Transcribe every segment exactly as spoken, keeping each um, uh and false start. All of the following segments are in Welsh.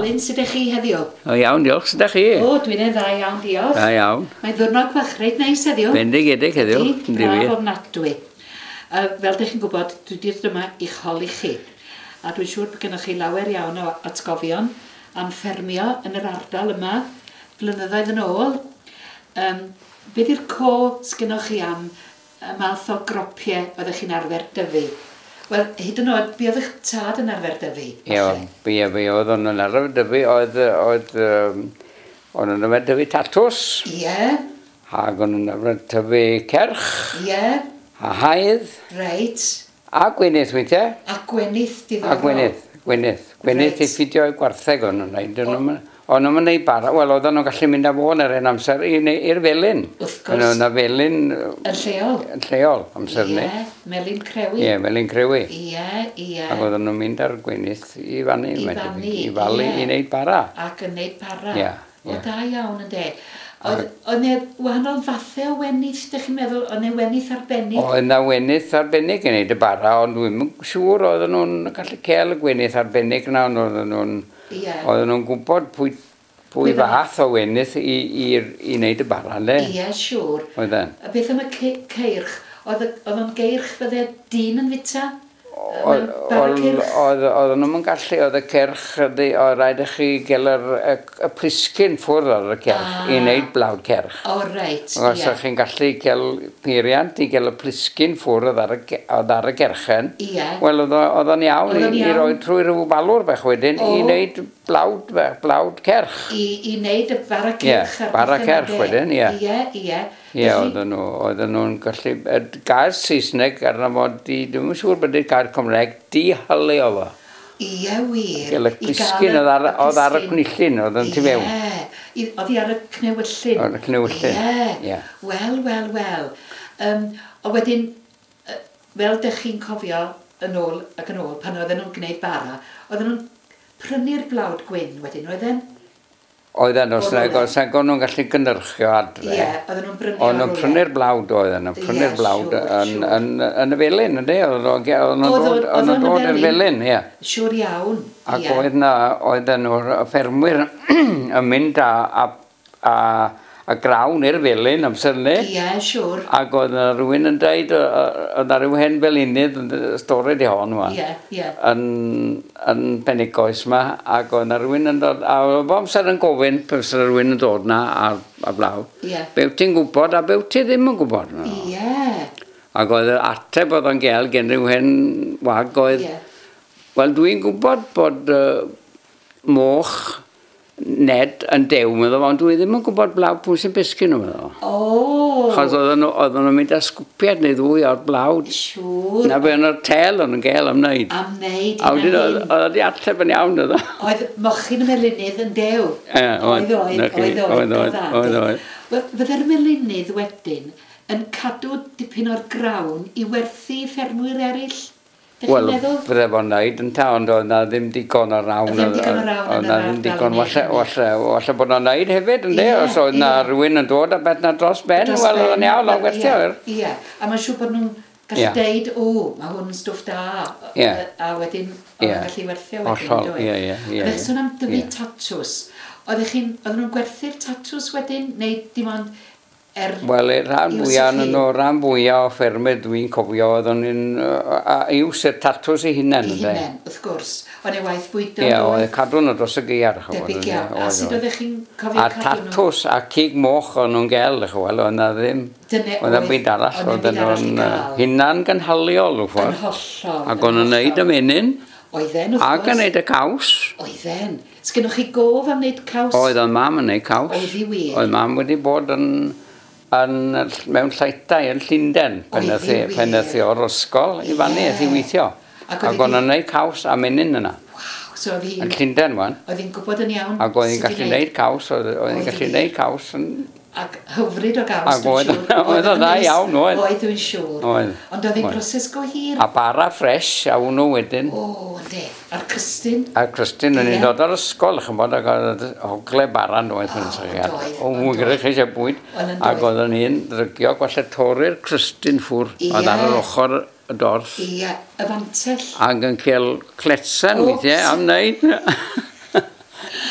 Alun, sut ydych chi heddiw? O iawn, diolch. Sut ydych chi? O, dwi'n yn dda iawn, diolch. Da iawn. Mae'n ddiwrnod bach reit neis heddiw. Bendigedig heddiw. Ydi, braf ofnadwy. Uh, fel ydych chi'n gwybod, dwi wedi dod yma i'ch holi chi. A dwi'n siŵr bod gennych chi lawer iawn o atgofion am ffermio yn yr ardal yma blynyddoedd yn ôl. Um, be di'r co sgynnoch chi am y math o gropiau oeddech chi'n arfer dyfu? Wel, hyd yn oed, be oedd eich tad yn arfer dyfu? Ie, be, be oedd o'n arfer dyfu, oedd, oedd, um, o'n nhw'n arfer dyfu tatws. Ie. Yeah. Ac o'n nhw'n arfer tyfu ceirch. Ie. Yeah. A haidd. Reit. A gwenith weithiau. A gwenith, diddorol. A gwenith, gwenith. Gwenith right. I ffidio i gwartheg o'n nhw'n neud. O'n nhw'n neud bara, wel oedden nhw'n gallu mynd â fo yn yr un amser i'r felin. Wrth gwrs. O'n felin... Yn lleol. Yn lleol, amser ni. Ie, melin crewi. Ie, melin crewi. Ie, ie. Ac oedden nhw'n mynd ar gwenith i fannu. I fannu, I falu, i wneud bara. Ac yn wneud bara. Ie. O, da iawn yn de. Oedd 'na wahanol fathau o wenith, ydych chi'n meddwl? Oedd 'na wenith arbennig? Oedd 'na wenith arbennig yn wneud y bara, ond dwi'm yn siŵr oedden nhw'n gallu cael y gwenith arbennig yna, ond oedden nhw'n yeah. Oedden nhw'n gwybod pwy, pwy fath o wenith i, i, i wneud y bara, ynde? Ie, yeah, siŵr. Oedden. A beth am y ceirch? Oedd o'n geirch fydde dyn yn fita? Oedd Oedden nhw'n gallu, oedd y ceirch, oedd rhaid i chi gael yr, y, y plisgyn ffwrdd ar y ceirch ah. i wneud blawd ceirch. O, reit, ie. Os o'ch chi'n gallu cael peiriant i gael y plisgyn ffwrdd ar y, oedd ar y gerchen, ie. Wel, oedd o'n iawn i, i roi trwy rhyw falwr bach wedyn o. I wneud blawd, blawd ceirch. I, i wneud y bara ceirch. Ie, bara ceirch wedyn, ie. Ie, ie. Ie, oedden nhw, oedden nhw'n gallu, y gair Saesneg arno fo, di, dwi'm yn siŵr bod y gair Cymraeg, dihylu o fo. Ie, wir. Gael y plisgyn oedd ar, oedd ar y cnewyllyn, oedd yn tu fewn. Ie, oedd hi ar y cnewyllyn. Oedd y cnewyllyn, ie. Wel, wel, wel. Um, o wedyn, fel dych chi'n cofio yn ôl ac yn ôl, pan oedden nhw'n gwneud bara, oedden nhw'n prynu'r blawd gwyn wedyn, oedden? Oedden, os nag os nag o'n nhw'n gallu gynhyrchu o adre. Ie, oedden nhw'n brynu O'n nhw'n prynu'r blawd oedden nhw'n prynu'r blawd yn, yn, yn y felin, ynddi? Oedden nhw'n dod, Oedd o'n dod i'r felin, ie. Siŵr iawn, Ac oedd na, oedden nhw'r ffermwyr yn mynd â, a, a, a grawn i'r felin amser hynny. Ie, siŵr. Ac oedd na rhywun yn dweud, oedd na rhyw hen felinydd, stori di hon wan. Ie, ie. Yn, yn Penygoes ma, ac oedd na rhywun yn dod, a oedd bob amser yn gofyn, pe fysa rhywun yn dod na ar, ar blawd. Ie. Be wyt ti'n gwybod a be wyt ti ddim yn gwybod. Ie. Ac oedd yr ateb oedd o'n gael gen rhyw hen wag oedd, Ie. Wel, dwi'n gwybod bod uh, moch Ned yn dew, meddwl, ond dwi ddim yn gwybod blawd pwy sy'n pesgyn nhw, meddwl. O! Chos oedden nhw, oedden nhw'n mynd â sgwpiad neu ddwy o'r blawd. Siŵr. Na be o'n o'r tel o'n nhw'n gael am wneud. Am wneud, A wedyn oedd oedd wedi ateb yn iawn, oedd o. Oedd mochyn y melinydd yn dew. Ie, oedd, oedd, oedd, oedd, oedd, oedd, oedd. Wel, fydde'r melinydd wedyn yn cadw dipyn o'r grawn i werthu i ffermwyr eraill? Wel, fydde fo'n neud yn ta, ond oedd na ddim digon o rawn. Ddim digon o rawn oedd na ddim digon, walle, walle, walle bod o'n neud hefyd, ynddi? Os oedd na rhywun yn dod a beth na dros ben, wel, oedd o'n iawn, o'n gwerthio. Ie, a mae'n siŵr bod nhw'n gallu deud, o, mae hwn yn stwff da, a wedyn o'n gallu werthio wedyn, Hollol, ie, ie, ie. Oeddech sôn am dyfu tatws. Oeddech chi'n, oedden nhw'n gwerthu'r tatws wedyn, neu dim ond er Wel, y rhan fwyaf yn nhw, rhan fwyaf o ffermydd dwi'n cofio, oedden nhw'n iws y tatws eu hunain. Eu hunain, wrth gwrs. Oedd e waith bwydo. Ie, oedd cadw nhw dros y gaeaf. Debyg iawn. A sut oeddech chi'n cofio A cadw nhw? tatws a cig moch o'n nhw'n gael, wel, oedd na ddim. Oedd na byd arall, oedden nhw'n hunan gynhaliol, wrth Yn hollol. Ac o'n nhw'n neud y menyn. Oedden, wrth gwrs. Ac yn neud y caws. Oedden. Sgynnoch chi gof am wneud caws? Oedd o'n mam yn neud caws. Oedd hi wir. Oedd mam wedi bod yn yn, mewn llaethau yn Llundain, pan aeth hi o'r ysgol i fannu, aeth hi weithio. Ac o'n nhw'n neud caws a menyn yna. Waw, so oedd hi'n... Yn Llundain, wan. Oedd hi'n gwybod yn iawn. Ac oedd hi'n gallu neud caws, oedd hi'n gallu neud caws yn... Ac hyfryd o gaws, Ac oedd oedd o'n dda iawn, oedd. Oedd, dwi'n siŵr. Oedd. Ond oedd hi'n broses go hir. A bara ffres, a hwnnw wedyn. O, ynddi. A'r crystyn. A'r crystyn, o'n i'n dod o'r ysgol, ch'mod, ac oedd ogle bara yn oedd yn sychiad. O, mwyn gyda chi eisiau bwyd. Ac oedd o'n un ddrygio, gwalle torri'r crystyn ffwr. Oedd ar yr ochr y dorth. Ie, y fantell. Ac yn cael cletsen weithiau am wneud.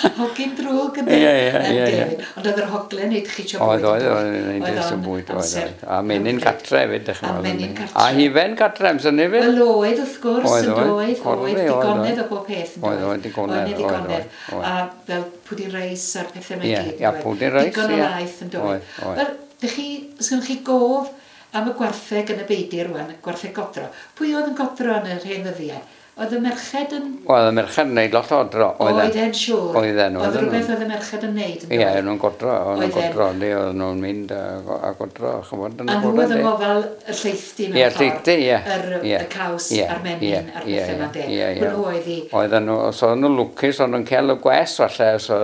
Hogyn drwg yn Ie, ie, ie. Ond oedd yr hogle'n neud chi eisiau bwyd? Oedd, oedd, oedd, neud eisiau bwyd, oedd. A menyn gatre hefyd, dych chi'n. A menyn gatre. A hufen gatre, amser ni fyd. Wel oedd, wrth gwrs, yn doedd, oedd, digonedd o bob peth. Oedd, oedd, digonedd, oedd, oedd. A fel pwdin reis a'r pethau mae gyd. Ie, pwdin reis, ie. Digon o laeth yn doedd. Wel, dych chi, os gennych chi gof am y gwartheg yn y beidir rwan, y gwartheg godro. Pwy oedd yn godro yn yr hen ddyddiau? Oedd y merched yn... Oedd y merched yn neud lot o odro. Oedd e'n siŵr. Oedden. Oedd rhywbeth oedd y merched yn neud. Ie, o'n nhw'n godro, o'n nhw'n godro, oedd nhw'n mynd a godro, ch'mod, yn y bore. A nhw oedd yn gofal y lleithdi mewn ffordd. Ie, lleithdi, ie. Yr caws a'r menyn a'r pethau yma de. Ie, ie. Hwnnw oedd i... Oedden nhw, os oedden nhw'n lwcus, o'n nhw'n cael y gwes falle, so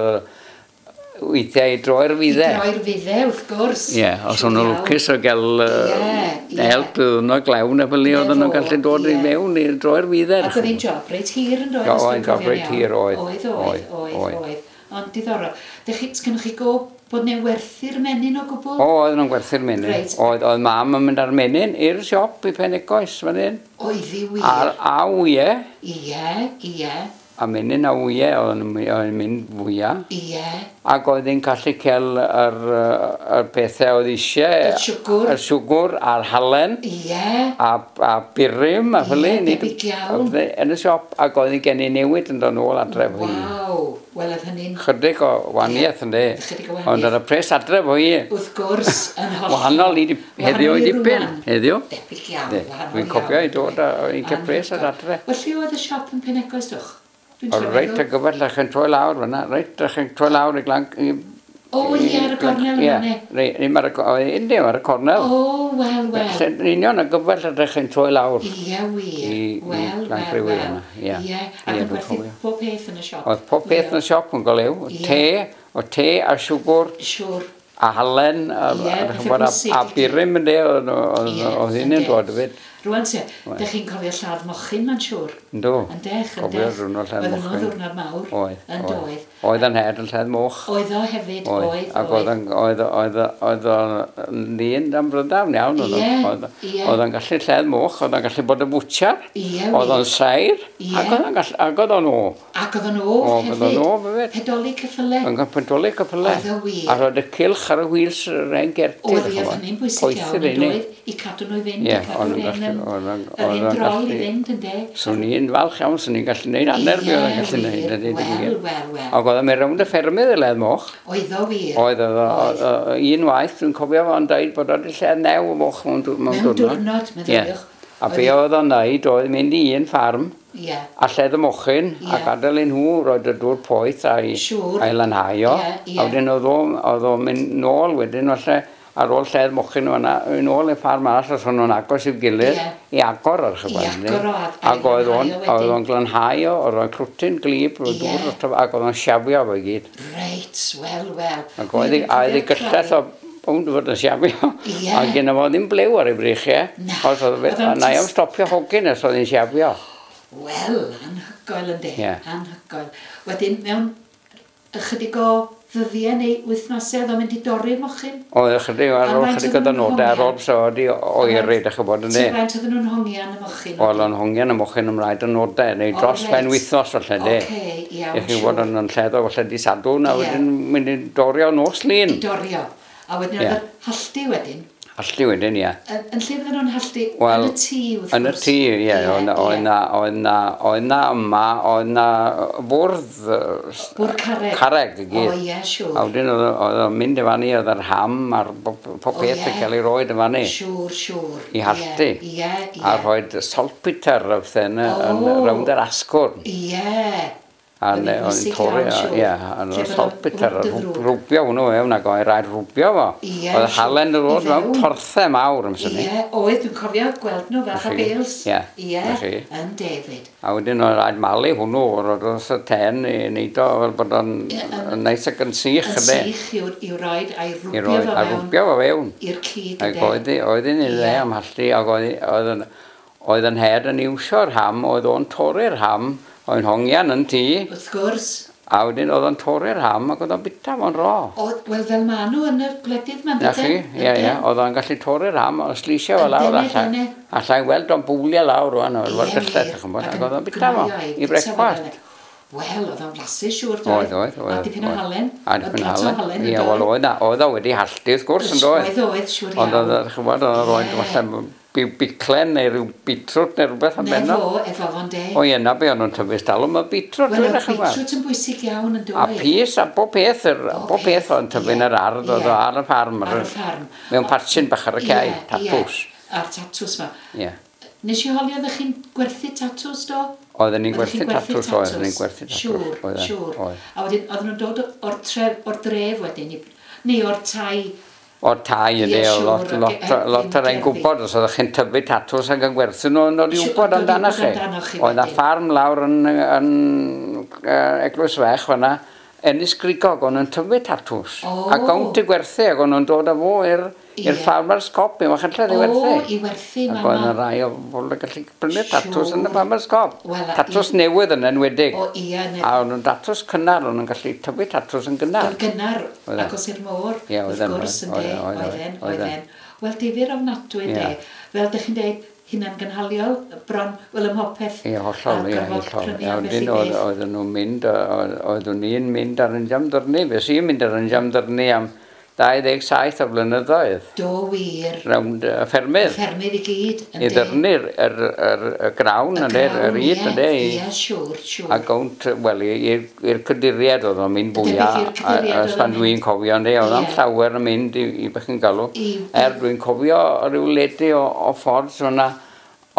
weithiau i droi'r fydde. I droi'r fydde, wrth gwrs. Ie, yeah, os o'n nhw'n lwcus o gael uh, help iddyn nhw glewn a fel ni, oedden nhw'n gallu dod i mewn i droi'r fydde. Ac oedd hi'n job reit hir yn doedd? Oedd, job reit hir, oedd. Oedd, oedd, oedd, oedd. Ond diddorol. Sgynnoch chi go bod neu'n werthu'r menyn o gwbl? O, oedd nhw'n gwerthu'r menyn. Reit. Oedd, oedd mam yn mynd ar menyn i'r siop i Penegoes fan hyn. Oedd hi wir? A, a wyau. Ie, ie. A menyn a wyau oedd yn mynd fwyaf. Ie. Ac oedd hi'n gallu cael yr, yr pethau oedd eisiau. Y siwgwr. Y siwgwr a'r halen. Ie. A, a burum a fel Ie, debyg iawn. Yn y siop ac oedd hi'n gen i newid yn dod nôl adre fo hi. Waw, wel oedd hynny'n... Chydig o wahaniaeth ynddi. Chydig o wahaniaeth. Ond oedd y pres adre fo hi. Wrth gwrs, yn hollol. Wahanol i heddiw i dipyn. Heddiw. Debyg iawn, wahanol iawn. Dwi'n cofio i dod a i'n cael pres ar adre. Wel, lle oedd y siop yn Penegoes, dwch? O, reit y gyfell, ych chi'n troi lawr fyna, reit, ych chi'n troi lawr i glan... O, ie, ar y cornel yma, ne? Ie, ddim ar y, ddim ar y cornel. O, wel, wel. Yn union y gyfell ydych chi'n troi lawr. Ie, wir. Wel, wel, wel. Ie, ac yn gwerthu pob peth yn y siop. Oedd pob peth yn y siop yn golew. Te, o te a siwgwr. Siwr. A halen, a, a, a burum yn de, oedd hynny'n dod hefyd. Rwan se, dych chi'n cofio lladd mochyn, mae'n siŵr? Yndw. Yndech, yndech. Cofio rhywun lladd mochyn. Oedd nhw'n ddiwrnod mawr. Oedd. Yn doedd. Oedd yn het yn lladd moch. Oedd o hefyd, oedd. Ac oedd oedd oedd oedd o'n ddyn am brydawn iawn. Ie, ie. Oedd o'n gallu lladd moch, oedd o'n gallu bod yn bwtsiar. Ie, oedd o'n saer. Ac oedd o'n gallu, ac oedd o'n o. Ac oedd o'n o hefyd. Oedd o'n o hefyd. Pedoli cyffyle. Yn pedoli cyffyle. Oedd o wir. A roedd y cylch ar y wheels yr ein gerti. Oedd, oedd hynny'n bwysig iawn yn doedd, i cadw nhw i fynd, i cadw'r hen yr un drol i fynd, ynde? Swn i'n falch iawn, swn i'n gallu neud hanner be oedd yn gallu neud. Wel, wel, wel. Ac oedd o'n mynd rownd y ffermydd i ledd moch. Oedd o wir. Oedd, oedd, un waith, dwi'n cofio fo'n dweud bod o'n lled new o moch mewn diwrnod. Mewn diwrnod, meddyliwch. A be oedd o'n neud oedd mynd i un ffarm yeah. a lled y mochyn yeah. a gadael i nhw roed y dŵr poeth a'i, siŵr. A'i lanhau o. Yeah, yeah. A wedyn oedd o'n mynd nôl wedyn falle ar ôl lled mochyn o'na, yn ôl i'r ffarm arall os o'n nhw'n agos i'w gilydd, yeah. i agor ar chyfan. I agor o, ac oedd o'n, oedd o'n glanhau o, oedd o'n clwtyn glib, roedd yeah. dŵr, ac oedd o'n siafio fo i gyd. Reit, wel, wel. Ac oedd ei gyllell o bownd fod yn siafio. Yeah. A gyda fo ddim blew ar ei breichiau. Na. Oedd na i am stopio hogyn os oedd hi'n siafio. Wel, anhygoel yndi, yeah. Anhygoel. Wedyn, mewn ychydig o ddyddiau neu wythnosau oedd o'n mynd i dorri'r mochyn? Oedd ychydig ar ôl ychydig o ddynodau ar ôl so wedi oeri, dych chi'n bod yn Ti'n faint oedden nhw'n hongian y mochyn? Oedd o'n hongian y mochyn ymlaen dynodau, neu dros pen wythnos falle, de. Oce, iawn, I chi'n bod yn lleddo falle di Sadwrn, a wedyn mynd i dorio nos Lun. I dorio. A wedyn oedd yr halltu wedyn. Halltu wedyn, ie. Yn lle fydden nhw'n halltu? Yn y tŷ, wrth gwrs. Yn y tŷ, ie. Oedd na, oedd na, oedd na yma, oedd na fwrdd... Bwrdd carreg. Carreg i gyd. O, ie, siŵr. A wedyn oedd o'n mynd i fannu, oedd yr ham a'r pob peth yn cael ei roed i fannu. Siŵr, siŵr. I halltu. Ie, ie. A rhoid saltpeter a pethau yn rownd yr asgwrn. Ie. A oedd yn torri, ie, a oedd saltpeter, rwbio hwnnw fewn ac oedd rhaid rwbio fo. Oedd halen yn dod mewn torthau mawr amser ni. Ie, oedd, dwi'n cofio gweld nhw fath o bales. Ie, ie, yn David. A wedyn oedd rhaid malu hwnnw, roedd wrth y ten i wneud o fel bod o'n neis ac yn sych. Yn sych i'w roed a'i rwbio fo fewn. A rwbio fo fewn. I'r cig, ynde. Ac oedd hi'n ei dde am halltu, ac oedd yn het yn iwsio'r ham, oedd o'n torri'r ham, oedd yn hongian yn tŷ. Wrth gwrs. A wedyn oedd o'n torri'r ham ac oedd o'n bita fo'n ro. Wel, fel ma nhw yn y gwledydd ma'n dydyn. Na chi, ie, ie. Oedd o'n gallu torri'r ham, oedd slisio fo lawr. Allai weld o'n bwlio lawr rwan, oedd o'r gyllell, ac oedd o'n bita fo i brecwast. Wel, oedd o'n flasu siŵr, doedd? Oedd, oedd, oedd. A dipyn o halen. A dipyn o halen. Ie, wel, oedd, oedd o wedi halltu, wrth gwrs, yn doedd? Oedd, oedd, siŵr iawn. Ond oedd, ch'mod, oedd o'n rhoi falle biclen neu rhyw beetroot neu rhywbeth am benno. Ne fo, efo fo'n de. O ie, na be o'n nhw'n tyfu stalwm, y beetroot. Wel, oedd beetroot yn bwysig iawn yn doedd. A pys, a bob peth, bob peth oedd yn tyfu yn yr ardd, oedd o ar y ffarm. Ar y ffarm. Mewn patchyn bach ar y cae, tatws. A'r tatws ma. Ie. Nes i holi, oeddech chi'n gwerthu tatws, do? Oedden ni'n gwerthu tatws, oedden ni'n gwerthu tatws. Siŵr, siŵr. A wedyn, oedden nhw'n dod o'r tref, o'r dref wedyn, neu o'r tai? O'r tai, ydy, o lot, lot, lot ar ein gwybod, os oeddech chi'n tyfu tatws ac yn gwerthu nhw, yn dod i wybod amdanoch chi. Oedd na ffarm lawr yn, yn Eglwys Fech fan'na, Ennis Grigog, o'n nhw'n tyfu tatws. Ac o'n nhw'n gwerthu, ac o'n nhw'n dod â fo i'r i'r Farmer's Cop, i Machynlleth i werthu. O, i werthu, mama. Ac oedd yna rai o bobl yn gallu prynu tatws yn y Farmer's Cop. Tatws newydd yn enwedig. O, ie. A o'n nhw'n datws cynnar, o'n nhw'n gallu tyfu tatws yn gynnar. Yn gynnar, agos i'r môr, wrth gwrs, yn de, oedden, oedden. Wel, difyr ofnadwy, de. Fel dych chi'n deud, hunan-gynhaliol, bron, wel, ym mhopeth. Ie, hollol, ie, hollol. A wedyn oedden nhw'n mynd, oeddwn i'n mynd ar yn jamdyrnu, fe sy'n mynd ar yn jamdyrnu am dau ddeg saith o blynyddoedd. Do wir. Rownd y ffermydd. Y ffermydd i gyd. I ddyrnu'r yr, yr, y grawn, y grawn, yr yd, ie, ie, siŵr, siŵr. A gownt, wel, i'r cyduriad oedd o'n mynd fwyaf, os pan dwi'n cofio, ynddi, oedd o'n llawer yn mynd i, i beth chi'n galw. Er dwi'n cofio rhyw ledi o, o ffordd, so na,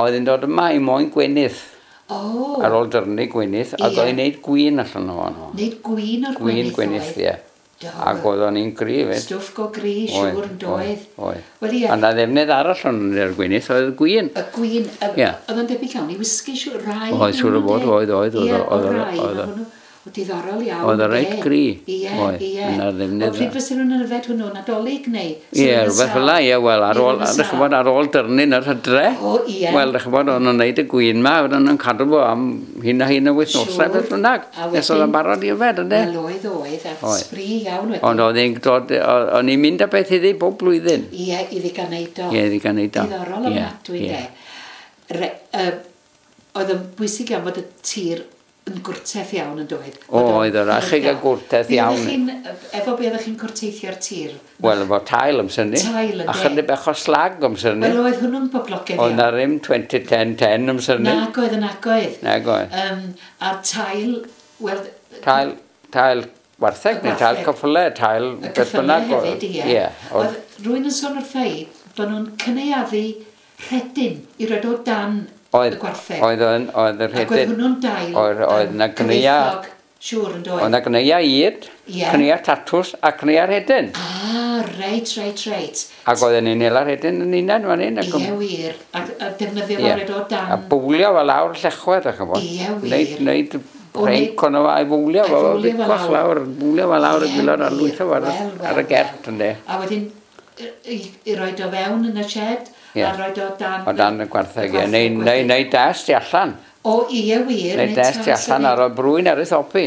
oedd yn dod yma i moyn gwenith. Oh. Ar ôl dyrnu gwenith, ac oedd yn neud gwin allan ohono. Neud gwin o'r gwenith, Gwin gwenith, ie. Ac oedd o'n un gri fyd. Stwff go gri, siŵr yn doedd. Oedd, oedd. A na ddefnydd arall o'n i'r gwenith oedd gwin. Y gwin, oedd o'n debyg iawn i wisgi, siŵr, rai. Oedd, siŵr o fod, oedd, oedd, oedd. Ie, o rai, o diddorol iawn. Oedd o reit gri. Ie, ie. O pryd fysa nhw'n yfed hwnnw, Nadolig neu? Ie, rhywbeth fel 'na, ie, wel, ar ôl, dych chi'n bod, ar ôl dyrnu'n yr hydre. O, ie. Wel, dych chi'n bod, o'n nhw'n neud y gwin ma, oedden nhw'n cadw fo am hyn a hyn o wythnosau, beth bynnag. Nes oedd o'n barod i yfed, ynde? Wel, oedd, oedd, a sbri iawn wedyn. Ond oedd hi'n dod, o'n i'n mynd â beth iddi bob blwyddyn. Ie, iddi gael neud o. Ie, iddi gael neud o. Diddorol ofnadwy, de. Oedd yn bwysig iawn bod y tir yn gwrteth iawn yn doedd. O, oedd yr achig a gwrteth iawn. Efo be oeddech chi'n cwrteithio'r tir? Wel, efo tail amser ni. Tail, ynde. A chydig bach o slag amser ni. Wel, oedd hwnnw'n boblogaidd iawn. Oedd na ddim twenty ten ten amser ni. Nag oedd, nag oedd. Nag oedd. Um, a tail, wel... Tail, tail wartheg neu tail ceffyle, tail beth bynnag. Y ceffyle hefyd, ie. Oedd rhywun yn sôn wrtha i bod nhw'n cynaeafu rhedyn i roed o dan Oedd, y gwartheg. Oedd, oedd y rhedyn. Ac oedd hwnnw'n dail. Oedd, oedd na gneia... Siŵr yn doedd. Oedd na gneia yd, yeah. Gneia tatws a gneia rhedyn. Ah, reit, reit, reit. Ac oedden ni'n hela'r rhedyn yn unan fan hyn. Ie, wir. A, a defnyddio fo yeah. o dan. A bwlio fo lawr llechwedd, ach yn fod. Ie, wir. Neud, neud rhenc ono fo a'i fwlio fo, bicwach lawr, bwlio fo lawr y gwylod a lwytho fo ar y gert, ynde. A wedyn, i roed o fewn yn y shed, a roed o dan... O dan y gwartheg, ie. Neu, neu, neu dest i allan. O, ie, wir. Neu dest i allan ar y brwyn ar ei thopi.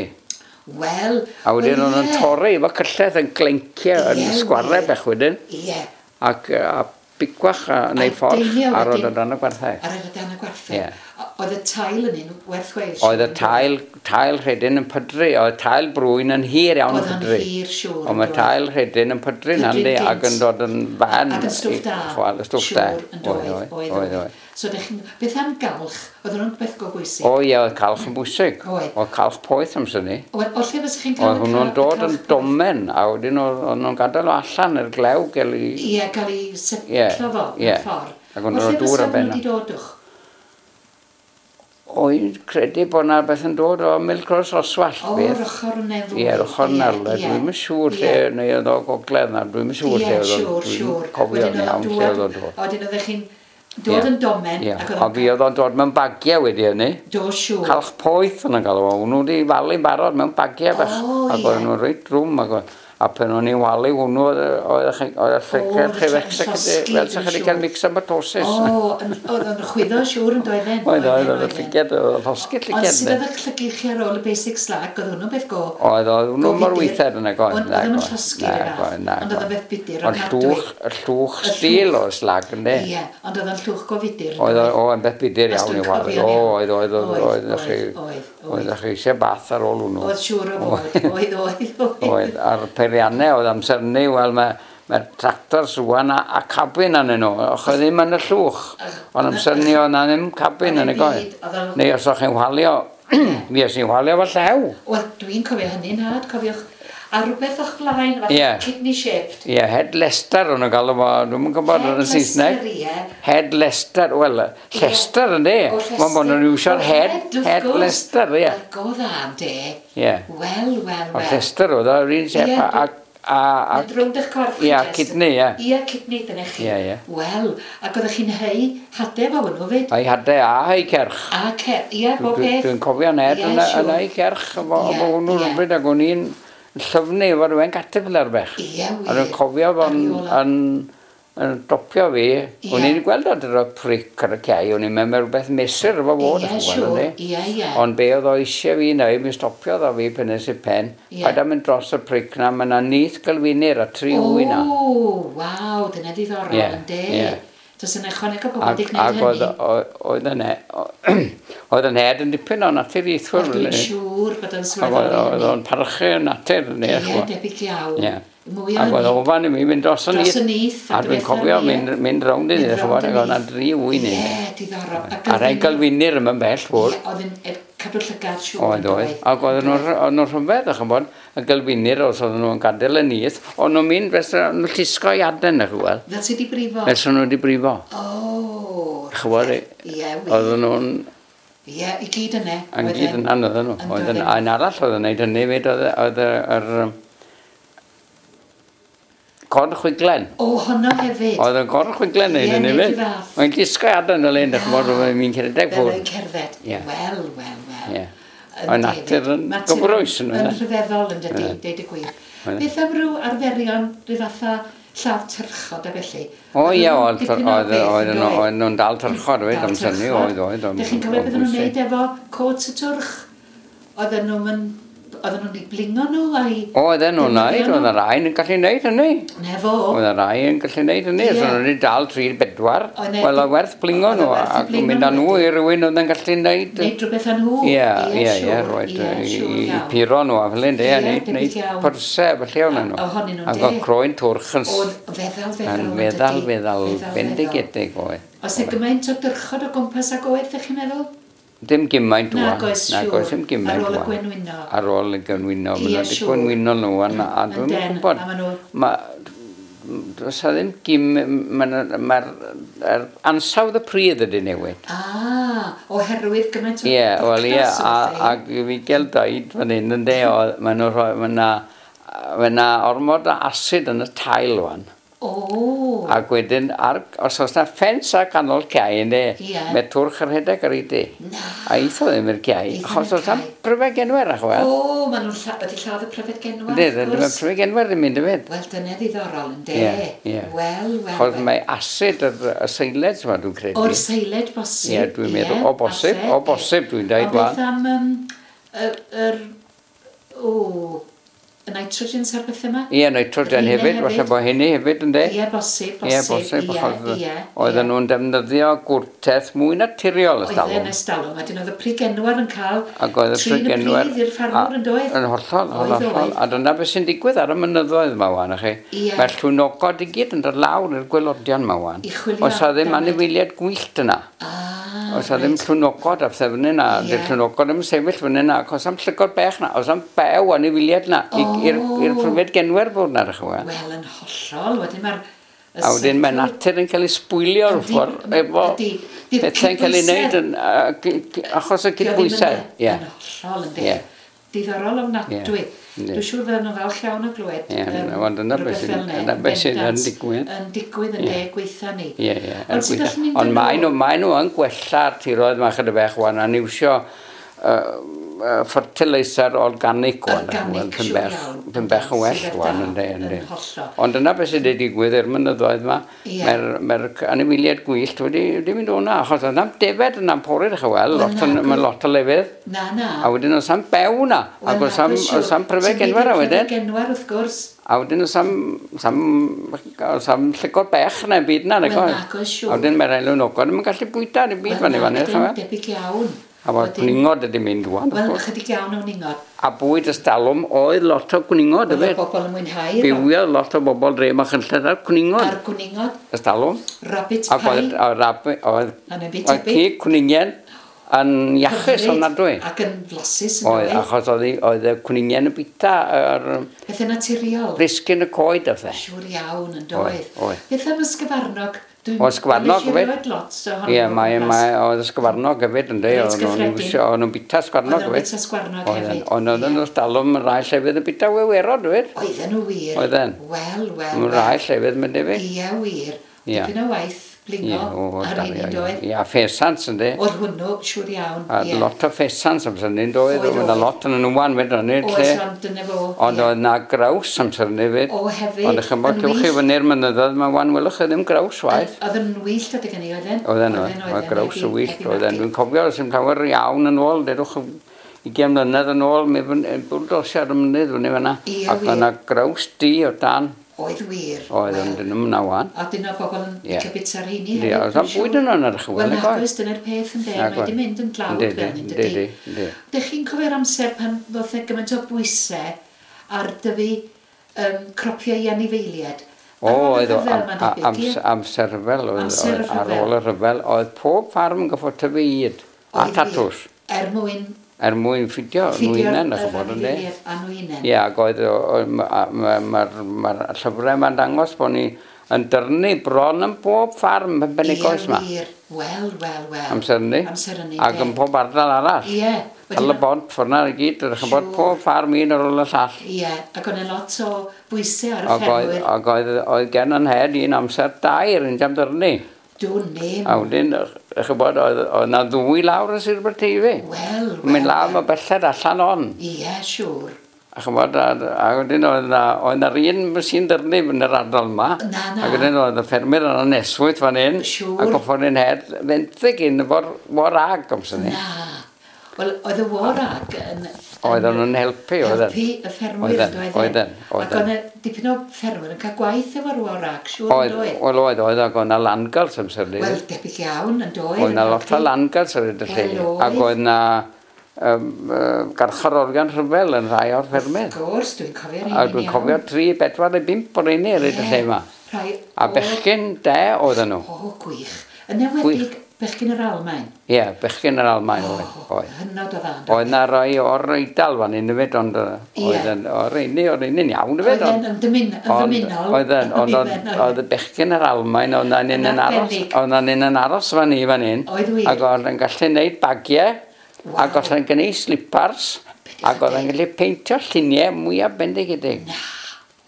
Wel... A wedyn o'n nhw'n torri efo cyllell yn glencio yn sgwarau bech wedyn. Ie. Ac a bicwach a neu fforch ar o dan y gwartheg. Ar o dan y gwartheg. Oedd y tail yn un werth chweil? Oedd y tail, tail rhedyn yn pydru, oedd tail brwyn yn hir iawn yn pydru. Oedd o'n hir, siŵr. Ond mae tail rhedyn yn pydru nandi ac yn dod yn fan. Ac yn stwff da. Chwal, y stwff da. Siŵr, yn doedd, oedd, oedd, oedd. So, dych chi'n, beth am galch? Oedd hwnnw'n beth go bwysig? O ie, oedd calch yn bwysig. Oedd. Oedd calch poeth amser ni. Oedd, o lle fysa chi'n cael Oedd hwnnw'n dod yn domen, a wedyn oedd nhw'n gadael o allan i'r glew gael ei... Ie, gael ei setlo fo, mewn ffordd. Ac o'n nhw'n dŵr ar ben. O lle fysa hwnnw wedi dod wch? O'n credu bod na beth yn dod o Milcross Oswallt. O, yr ochr yna fwy. Ie, yr ochr yna. Dwi'm yn siŵr lle, neu oedd o gogledd na, dwi'm yn siŵr lle oedd o'n... Ie, siŵr, siŵr. Cofio'n iawn lle oedd o'n dod. A wedyn oeddech chi'n dod yn domen. Ie, a fi oedd o'n dod mewn bagiau wedi hynny. Do, siŵr. Calch poeth o'n galw o. Nhw wedi falu'n barod mewn bagiau bach. O, ie. Ac oedden nhw'n reit drwm. A pan o'n i'n walu hwnnw, oedd y llygaid chi fel sa chi wedi cael myxomatosis. O, oedd o'n chwyddo siŵr yn doedden. Oedd, oedd, oedd y llygad, oedd y llosgi'r llygad. Ond sydd oedd y llygad chi ar ôl y basic slag, oedd hwnnw beth go? Oedd, oedd hwnnw mor weithred yn y goed. Oedd o'n llosgi'r fath, ond oedd o'n beth budur ofnadwy. Ond llwch stil o'r slag, ynddi? Ie, ond oedd o'n llwch go fudur. Oedd o'n beth budur iawn i walu. O, oedd, oedd, oedd, oedd. Oedd chi eisiau bath ar ôl hwnnw. Oedd siŵr o fod, oedd, oedd, oedd. Oedd, a'r peiriannau oedd amser ni, wel mae'r mae tractors rwan a, a cabin arnyn nhw, och oedd ddim yn y llwch. Ond amser ni oedd na ddim cabin yn y goed. Neu os o'ch chi'n whalio, mi os i'n whalio fo llew. Wel, dwi'n cofio hynny'n nhad, cofiwch. A rhywbeth o'ch blaen, fatha yeah. Kidney shaped. Ie, yeah, Head Lester o'n nhw'n galw fo, dwi'm yn gwybod yn Saesneg. Head Lester, ie. Head Lester, wel, Lester ynddi. Mae'n bod nhw'n iwsio'r head, head Lester, ie. Wel, go dda, ynddi. Ie. Wel, wel, wel. O Lester oedd o'r un shape a... A, a, Mynd rownd eich corff chi, Ie, kidney, ie. Ie, kidney, dyna chi. Ie, ie. Wel, ac oeddech chi'n hei hadau fo hwnnw fyd? Hei hadau a hei cerch. A cerch, ie, bob peth. Dwi'n cofio Ned yn hei cerch efo hwnnw rhywbryd, ac o'n i'n llyfnu efo rhywun caterpillar bech. Ie, wir. A dwi'n cofio fo'n yn, yn dopio fi. O'n i'n gweld oedd y pric ar y cae, o'n i'n meddwl rhywbeth mesur efo fod. Ie, siŵr, ie, ie. Ond be oedd o eisiau fi wneud, mi stopiodd o fi pen nes i pen. Paid â mynd dros y pric na, mae yna nyth gylfinir a tri wy na. O, waw, dyna ddiddorol, ynddi. Ie. Does yna ychwaneg o bobl wedi gwneud hynny. Ac oedd oedd yn head yn dipyn o naturiaethwr. Wel, dwi'n siŵr bod o'n sylweddoli hynny. Oedd o'n parchu natur. Ie, debyg iawn. Mwy o Ac oedd ofan i mi mynd dros y nyth. Dros y nyth. A dwi'n cofio mynd, mynd rownd i nyth, ac oedd yna dri wy ni. Ie, diddorol. A rhai gylfinir yma'n bell fwrdd. Ie, oedd yn cadw llygad siŵr. Oedd, oedd. Ac oedd nhw'n rhyfedd, ch'mod, y gylfinir os oedden nhw'n gadael y nyth, o'n nhw'n mynd, fel nhw'n llusgo i aden, ch'wel. Fel sydd wedi brifo? Fel sydd nhw wedi brifo. O, Ch'mod, ie, wir. Oedden nhw'n... Ie, i gyd yna. Yn gyd yna, oedden nhw. Oedd yn arall oedd yn neud hynny fyd, oedd yr... Corn chwiglen. O, honno hefyd. Oedd yn corn chwiglen neud hynny fyd. Mae'n llusgo i aden y len, ch'mod, oedd mi'n cerdded ffwrdd. Fel yn cerdded. Wel, wel, wel. Oedd natur yn gyfrwys. Yn rhyfeddol yn dydi, deud y gwir. Beth am ryw arferion, rhyw fatha lladd tyrchod a felly? O ie, oedd nhw'n dal tyrchod, oedd, amser ni, oedd, oedd. Dych chi'n cofio beth nhw'n neud efo cots y twrch? Oedden nhw'n Oedden nhw'n ei blingo nhw a'i... Oedden nhw'n neud, oedd y rai yn gallu neud hynny. Ne fo. Oedd y rai yn gallu neud hynny, os o'n nhw'n dal tri bedwar, wel oedd werth blingo nhw ac mynd â nhw i rywun oedd yn gallu neud... Neud rhywbeth â nhw. Ie, ie, ie, roed i puro nhw a fel hyn, ie, neud pyrsau felly o'n nhw. Ohonyn nhw'n de. Ac oedd croen twrch yn... Oedd feddal, feddal. Yn feddal, feddal, bendigedig oedd. Oes e gymaint o dyrchod o gwmpas ag oedd, ydych chi'n meddwl? Dim gymaint ŵan. Nag oes, siŵr. Nag oes, dim gymaint Ar ôl y gwenwyno. Ar ôl y gwenwyno. Maen nhw wedi gwenwyno nhw, a dwi'n gwybod. Does a ddim gym... Mae'r ansawdd y pridd ydy newid. Ah, oherwydd gymaint o... Ie, wel ie, ac i fi gael dweud fan hyn, ynde, mae yna ormod o asid yn y tail ŵan. O! Ac wedyn, ar, os oes na ffens ar ganol cae, ynddi, yeah. Mae twrch yn rhedeg ar ei di. Na. A eitho ddim i'r cae, achos oes na'm pryfed genwer, ach wel. O, maen nhw'n lla, wedi lladd y pryfed genwer, wrth gwrs. Mae pryfed genwer yn mynd hefyd. Wel, dyna ddiddorol, ynddi. Ie, ie. Wel, wel, Achos mae asid yr y seiled, yma, dwi'n credu. O'r seiled bosib. Ie, dwi'n meddwl, o bosib, o bosib, dwi'n dweud wan. O beth am, um, yr, yr, o, y nitrogens a'r beth yma? Ie, nitrogen hefyd, falle bod hynny hefyd, ynddi? Ie, bosib, bosib. Ie, bosib, achos oedden nhw'n defnyddio gwrteth mwy naturiol ers talwm. Oedden ers talwm, a dyn oedd y prygenwar yn cael trin y pridd i'r ffarmwr yn doedd? Yn hollol, hollol. A dyna beth sy'n digwydd ar y mynyddoedd yma wan, chi. Mae'r llwynogod i gyd yn dod lawr i'r gwaelodion yma wan. Oes a ddim anifeiliaid gwyllt yna. Oes a ddim llwynogod a pethau fyny yna. Dy'r llwynogod ddim yn sefyll fyny yna, achos am llygod bech na, oes am bew anifeiliaid na. I'r pryfed genwer bod na, rych wel. Wel, yn hollol. Wedyn mae'r... A wedyn mae natur yn cael ei sbwylio rhyw ffordd efo pethau'n cael ei wneud yn, achos y cydbwysedd. Yn hollol, yndi. Diddorol ofnadwy. Dwi'n siŵr fydden nhw'n falch iawn o glywed rhywbeth fel 'na. Dyna beth sydd yn digwydd. Yn digwydd yn de gweitha ni. Ie, ie. Ond maen nhw yn gwella'r tiroedd yma chydig bach wan, a'n iwsio uh, fertilizer organic wan. Organic, siŵr iawn. Pyn bech yn well wan, ynddi, ynddi. Ond dyna beth sydd wedi digwydd i'r mynyddoedd yma, mae'r mae anifeiliaid gwyllt wedi, wedi mynd o'na, achos oedd na'm defed yna'n pori, ddech chi weld, mae lot o lefydd. Na, na. A wedyn oes am bew na, ac oes am, oes am pryfed genwar a wedyn. Pryfed genwar, wrth gwrs. A wedyn oes am, sam, oes am llygod bech na, byd na, nag oes. Wel, nag oes, siŵr. A wedyn mae'r elwnogod ddim yn gallu bwyta, ddim byd fan i fan Wel, debyg iawn. A mae'r cwningod wedi mynd wan. Wel, ychydig iawn o wningod. A bwyd ystalwm oedd lot o cwningod hefyd. Oedd bobl yn mwynhau. Bywiodd lot o bobl dre ma Chynlleth ar cwningod. Ar cwningod. Ystalwm. Rabbit pie. Ac oedd, oedd, oedd cig cwningen yn iachus ofnadwy. Ac yn flasus yn oedd. Achos oedd, oedd y cwningen yn bita ar... Pethau naturiol. Brisgyn y coed a pethau. Siŵr iawn yn doedd. Oedd. Beth am ysgyfarnog? O ysgyfarnog hefyd. Ie, mae, mae, oedd ysgyfarnog hefyd, ynddi. O'n nhw'n bita sgwarnog hefyd. Oedd nhw'n bita sgwarnog hefyd. Ond oedden nhw'n stalwm yn rai llefydd yn bita wewerod hefyd. Oedden nhw wir. Oedden. Wel, wel, wel. Rai llefydd, mae'n debyg. Ie, wir. Dipyn o waith blingo ar un un doedd. Ie, a ffesant, ynddi. Oedd hwnnw, siŵr iawn. A lot o ffesant amser hynny, doedd. Oedd yna lot yn nhw wan, fyd o'n Oes, ond dyna fo. Ond oedd na graws amser hynny fyd. O, hefyd. Ond ych chi'n cewch chi fyny'r mynyddoedd, mae wan welwch chi ddim graws waith. Oedd yn wyllt adeg hynny, oedden? Oedden, oedd graws yn wyllt, oedden. Dwi'n cofio, os dim llawer iawn yn ôl, dedwch ugain mlynedd yn ôl, mi bwldosiad y mynydd fyny fan'na. Ac oedd yna graws du o dan. Oedd wir. Oedd, ond dyn nhw'n na wan. A dyn nhw bobl yn licio bita rheini hefyd. Ie, oedd am bwyd yno yn arch Wel, nag oes, dyna'r peth yn de, mae wedi mynd yn dlawd fel hyn, dydy. Dych chi'n cofio'r amser pan ddoth e gymaint o bwysau ar dyfu um, cropiau i anifeiliaid? O, oedd o, amser rhyfel, oedd, ar ôl y rhyfel, oedd pob ffarm yn goffod tyfu ŷd a tatws. Er mwyn er mwyn ffidio nhw ch'mod, ynde? A nhw Ie, ac oedd, mae'r ma, llyfrau ma'n dangos bod ni yn dyrnu bron yn bob ffarm yn Penygroes ma. Ie, wir. Wel, wel, wel. Amser hynny. Amser hynny, Ac yn pob ardal arall. Ie. Tal y bont, ffordd i gyd, ydych chi'n bod pob ffarm un ar ôl y llall. Ie, ac oedd lot o bwysau ar y ffermwyr. Ac oedd, oedd gen yn head un amser dair yn jam dyrnu. Dwn ddim. A wedyn, ych chi'n bod, oedd yna ddwy lawr yn Sir Aberteifi. Wel, wel. Mynd lawr mae belled allan on. Ie, siŵr. A chi'n bod, a, a wedyn oedd yna, oedd yna'r un machine dyrnu yn yr ardal yma. Na, na. Ac wedyn oedd y ffermwyr yna neswyth fan hyn. Siŵr. Ac goffod un head fenthyg un efo'r war ag amser ni. Na. Wel, oedd y war ag yn... Oedden nhw'n helpu, oedden. Helpu y ffermwyr, oedden. Oedden, oedden. Ac oedd yna dipyn o ffermwyr yn cael gwaith efo'r war ag, siŵr yn doedd? Wel, oedd, oedd, ac oedd yna landgirls amser ni. Wel, debyg iawn, yn doedd. Oedd yna lot o landgirls ar y lle. Ac oedd yna um, uh, garcharorion rhyfel yn rhai o'r ffermydd. Wrth gwrs, dwi'n cofio'r rheini. A dwi'n cofio tri, bedwar neu bump o'r rheini ar y lle yma. A bechgyn de oedden nhw. O, gwych. Yn enwedig bechgyn yr Almaen? Ie, yeah, bechgyn yr Almaen oedd. Oh, hynod o dda. Oedd na rai o'r Eidal fan hyn hefyd, ond oedd o'r rheini, o'r rheini'n iawn hefyd. Oedd yn dymunol. Oedd ond oedd y bechgyn yr Almaen, oedd na'n un yn aros, oedd na'n un yn aros fan i fan hyn. Oedd wir. Ac oedd yn gallu gwneud bagiau, ac oedd yn gwneud slipars, ac oedd yn gallu peintio lluniau mwyaf bendigedig. Na.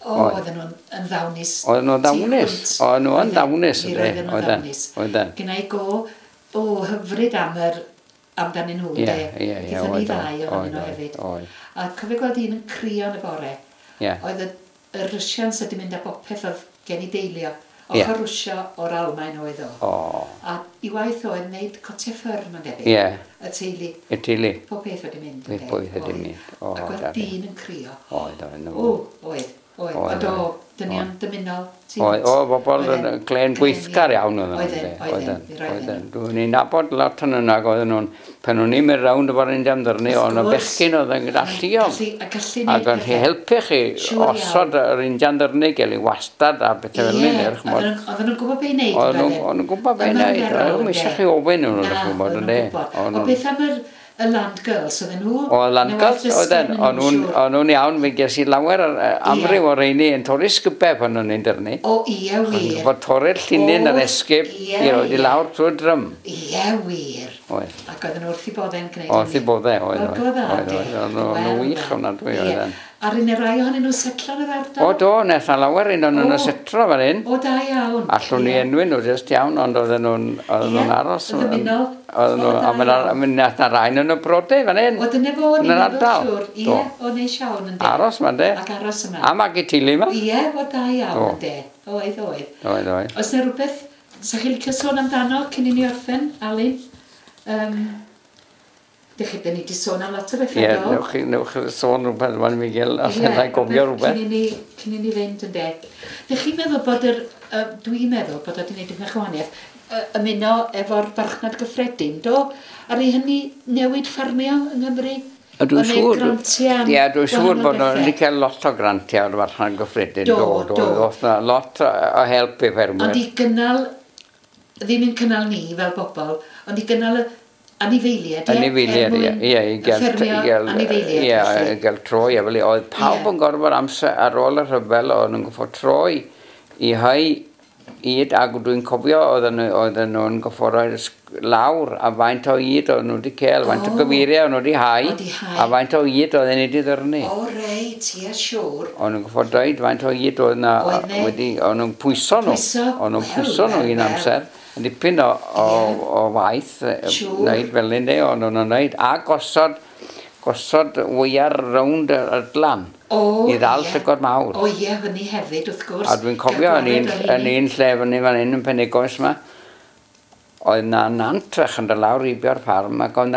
O, oedden nhw'n yn ddawnus. Oedden nhw'n ddawnus. Oedden nhw'n ddawnus. Oedden nhw'n ddawnus. Oedden. Gynna i go o hyfryd am yr amdanyn nhw, de. Ie, ie, ie. Gaethon ni ddau ohonyn nhw hefyd. A cofio gweld un yn crio yn y bore. Ie. Oedd y, y Russians wedi mynd â bopeth oedd gen i deilio. Ochr Rwsia o'r Almaen oedd o. O. A i waith oedd wneud cotiau ffyr, mae'n debyg. Ie. Y teulu. Y teulu. Pob peth wedi mynd. Pob peth wedi mynd. O, Ac oedd dyn yn crio. Oedd, oedd. O, oedd. Oedd, oedd, o, dynion dymunol. Oedd, o, bobl yn glen gweithgar iawn oedden nhw. Oedden, oedden, oedden. Dwi'n i'n nabod lot yn yna, oedden nhw'n, pan o'n i'n mynd rownd efo'r Indian ddyrnu, oedd yna bechgyn oedd yn galluog. A gallu neud. Ac o'n helpu chi osod yr Indian ddyrnu, gael ei wastad a bethau fel 'ny. Oedden nhw'n gwybod be i wneud. Oedden nhw'n gwybod be i wneud. Oedden nhw'n eisiau chi ofyn nhw, Na, oedden nhw'n gwybod. O beth am yr y Land Girls, oedden nhw? O, Land Girls, oedden. O'n nhw'n iawn, mi ges i lawer amryw o'r rheini yn torri sgubau pan o'n i'n dyrnu. O, ie, wir. Fod torri'r llinyn yr esgib i roed i lawr trwy'r drym. Ie, wir. Oedd. Ac oedden nhw wrth i boddau'n gwneud hynny. Wrth i boddau, oedd. Oedd, oedd. Oedd nhw'n wych ofnadwy, oedden. A'r un rai ohonyn nhw setlo yn yr ardal? O do, nes na lawer un o'n nhw'n setlo fan hyn. O, da iawn. Allwn ni enwi nhw jyst iawn, ond oedden nhw'n nhw'n aros. Yn ddymunol. Oedden nhw, a mi nath na rai nhw'n brode fan hyn. O, dyna fo, ni'n meddwl siwr. Ie, o, neis iawn yn de. Aros ma'n de. Ac aros yma. A magu teulu yma. Ie, o, da iawn yn de. Oedd, oedd. Oedd, oedd. Oes 'na rhywbeth, sa chi'n licio sôn amdano cyn i ni orffen, Alun? Um, Dych chi, dyn ni wedi sôn am lot o bethau, Ie, newch chi, newch chi sôn rhywbeth rwan, Miguel, allan yeah, gofio rhywbeth. Cyn i ni, cyn i ni fynd yn de. Dych chi'n meddwl bod yr, uh, dwi'n meddwl bod o wedi gwneud dipyn o gwahaniaeth, uh, ymuno efo'r farchnad gyffredin, do? Ar ei hynny newid ffarmio yng Nghymru? A dwi'n siŵr, ie, dwi'n siŵr bod nhw wedi cael lot o grantiau o'r farchnad gyffredin, do, do, do. Doedd na lot o help i ffermwyr. Ond i gynnal, ddim yn cynnal ni fel bobl, ond i gynnal y anifeiliaid, ie? Anifeiliaid, ie, ie, i gael, i gael, ie, i gael troi, efo, oedd pawb yn gorfod amser ar ôl y rhyfel, oedd nhw'n gorfod troi i hau ŷd, ac dwi'n cofio oedden nhw, nhw'n gorfod rhoi lawr a faint o ŷd oedden nhw wedi cael, faint o gyfeiriau oedden nhw wedi hau, a faint o ŷd oedden nhw wedi ddyrnu. O reit, ie, siŵr. Oedden nhw'n gorfod dweud faint o ŷd oedden nhw wedi, oedden nhw'n pwyso nhw. Oedden nhw'n pwyso nhw un amser. Dipyn o, o, o waith wneud fel hyn, o'n nhw'n wneud, a gosod, gosod weiar rownd y glan i ddal llygod mawr. O ie, fyny hefyd, wrth gwrs. A dwi'n cofio yn un, yn un lle fyny fan hyn yn Penygoes yma, oedd na nant fach yn dod lawr heibio'r ffarm ac oedd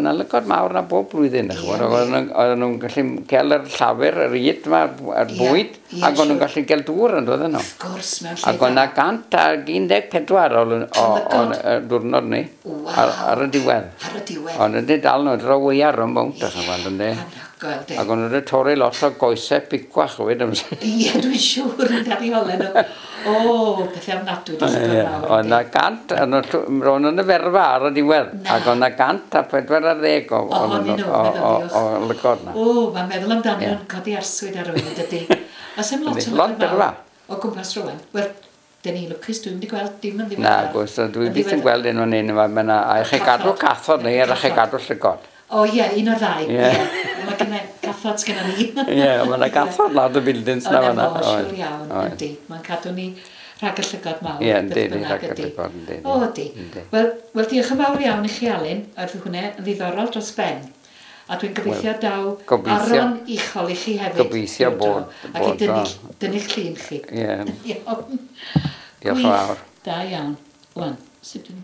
na lygod mawr na bob blwyddyn. Oedden nhw'n gallu cael yr llafur, yr ŷd yma, yr bwyd, ac o'n nhw'n gallu cael dŵr yn dod nhw. Wrth gwrs, mewn lle. Ac oedd na gant ag un deg pedwar o diwrnod ni, ar y diwedd. Ar y diwedd. Ond wedi dal nhw, dro weiar yn bownt, ac o'n nhw wedi torri lot o goesau picwach hefyd. Ie, dwi'n siŵr yn dal i olau nhw. O, pethau ofnadwy di llygod mawr. Oedd na gant, ro'n yn y ferfa ar y diwedd, ac oedd na gant a pedwar ar ddeg o lygod na. O, mae'n meddwl amdano yn codi arswyd ar rywun, dydy. Oes am lot o lygod mawr o gwmpas rwan? Wel, dyn ni lwcus, dwi'n wedi gweld dim yn ddiweddar. Na, gwrs, dwi byth yn gweld un o'n un yma, mae yna, a chi gadw cathod neu a chi gadw llygod. O ie, un o'r ddau. Ie. Mae gynna cathod sgynna ni. Ie, mae yna gathod lawr y buildings na fan'na. O, siŵr iawn, yndi. Mae'n cadw ni rhag y llygod mawr. Ie, yndi, rhag y llygod, yndi. O, yndi. Wel, wel, diolch yn fawr iawn i chi, Alun. Oedd hwnna yn ddiddorol dros ben. A dwi'n gobeithio daw Aron uchel i chi hefyd. Gobeithio bod. Ac i dynnu'ch llun chi. Ie. Iawn. Diolch yn fawr. Da iawn. Wan, sut dwi'n...